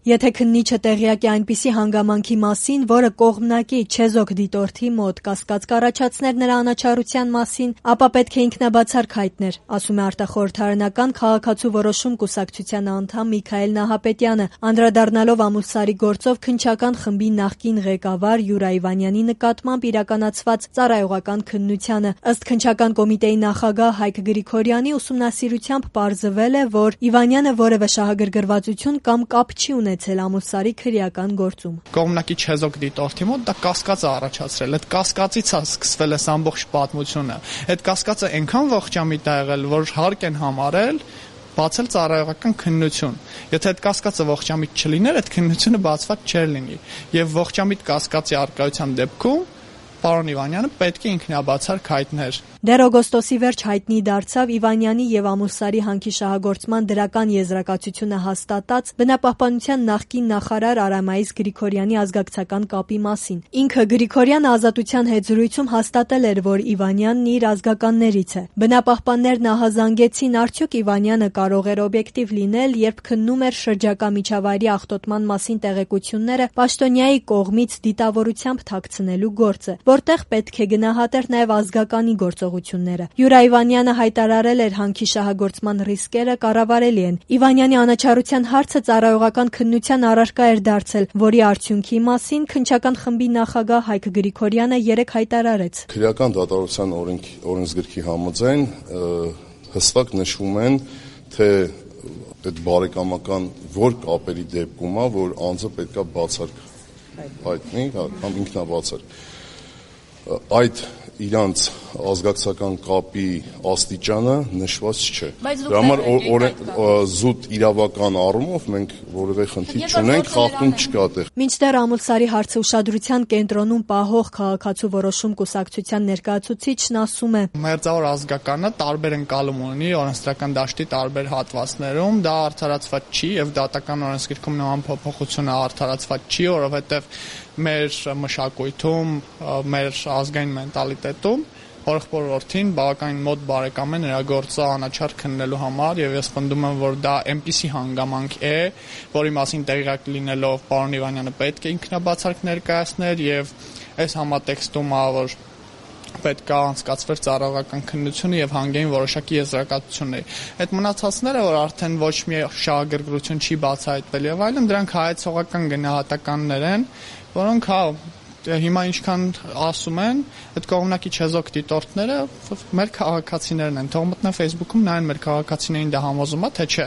Եթե քննիչը տեղյակ է այնպիսի հանգամանքի մասին, որը կողմնակի չեզոք դիտորդի մոտ կասկած կառաջացներ նրա անաչառության մասին, ապա պետք է ինքնաբացարկ հայտներ, ասում է արտախորհրդարանական քաղաքացու որոշում կուսակցության անդամ Միքայել Նահապետյանը, անդրադառնալով Ամուլսարի գործով քննչական խմբի նախկին ղեկավար Յուրա Իվանյանի նկատմամբ իրականացված ծառայողական քննությանը։ Ըստ քննչական կոմիտեի նախագահ Հայկ Գրիգորյանի ուսումնասիրությամբ պարզվել է, որ Իվանյանը որևէ շահագրգռվածություն կամ կապ չի ունեցել Ամուլսարի քրեական գործում։ Կողմնակի չեզոք դիտորդի մոտ դա կասկած է առաջացրել, այդ կասկածից է սկսվել այս ամբողջ պատմությունը։ Այդ կասկածը այնքան ողջամիտ է եղել, որ հարկ են համարել բացել ծառայողական քննություն։ Եթե այդ կասկածը ողջամիտ չլիներ, այդ քննությունը բացված չէր լինի։ Եվ ողջամիտ կասկածի առկայության դեպքում պարոն Իվանյանը պետք է ինքնաբացարկ հայտներ։ Դեռ օգոստոսի վերջ հայտնի դարձավ Իվանյանի եւ Ամուլսարի հանքի շահագործման դրական եզրակացությունը հաստատած բնապահպանության նախկին նախարար Արամայիս Գրիգորյանի ազգակցական կապի մասին։ Ինքը Գրիգորյանը ազատության հետ զրույցում հաստատել էր, որ Իվանյանն իր ազգականներից է։ Բնապահպաններն ահազանգեցին, արդյոք Իվանյանը կարող էր օբյեկտիվ լինել, երբ քննում էր շրջակա միջավայրի աղտոտման մասին տեղեկությունները պաշտոնյայի կողմից դիտավորությամբ թաքցնելու գործը, որտեղ պետք է գնահատեր նաև ազգականի գործողությունները։ Յուրա Իվանյանը հայտարարել էր հանքի շահագործման ռիսկերը կառավարելի են։ Իվանյանի անաչառության հարցը ծառայողական քննության առարկա էր դարձել, որի արդյունքի մասին քննչական խմբի նախագահ Հայկ Գրիգորյանը երեկ հայտարարեց։ Քրեական դատավարության օրենսգրքի համաձայն հստակ նշվում են, թե այդ բարեկամական որ կապերի դեպքում է, որ անձը պետքա բացարկ հայտնի, կամ ինքնաբացարկ։ Այդ իրանց ազգակցական կապի աստիճանը նշված չէ։ Դրա համար զուտ իրավական առումով մենք որևէ խնդիր չունենք, խախտում չկա այդտեղ։ Մինչդեռ Ամուլսարի հարցը ուշադրության կենտրոնում պահող քաղաքացու որոշում կուսակցության ներկայացուցիչն ասում է. Մերձավոր ազգականը տարբեր ընկալում ունի օրենսդրական դաշտի տարբեր հատվածներում, դա արդարացված չի եւ դատական օրենսգրքում նման փոփոխությունը արդարացված չի, որովհետեւ մեր մշակույթում, մեր ազգային մենտալիտետում հորեղբորորդին բավականին մոտ բարեկամ է նրա գործը անաչառ քննելու համար եւ ես պնդում եմ, որ դա այնպիսի հանգամանք է, որի մասին տեղյակ լինելով պարոն Իվանյանը պետք է ինքնաբացարկ ներկայացներ եւ այս համատեքստում որ պետք է անցկացվեր ծառայողական քննությունը եւ հանգեին որոշակի եզրակացությունների։ Այդ մնացածները, որ արդեն ոչ մի շահագրգռություն չի բացահայտվել եւ այլն, դրանք հայեցողական գնահատականներ են, որոնք հիմա ինչքան ասում են, այդ կողմնակի չեզոք դիտորդները մեր քաղաքացիներն են, թող մտնեն Facebook-ում նայեն մեր քաղաքացիներին դա համոզում է, թե չէ։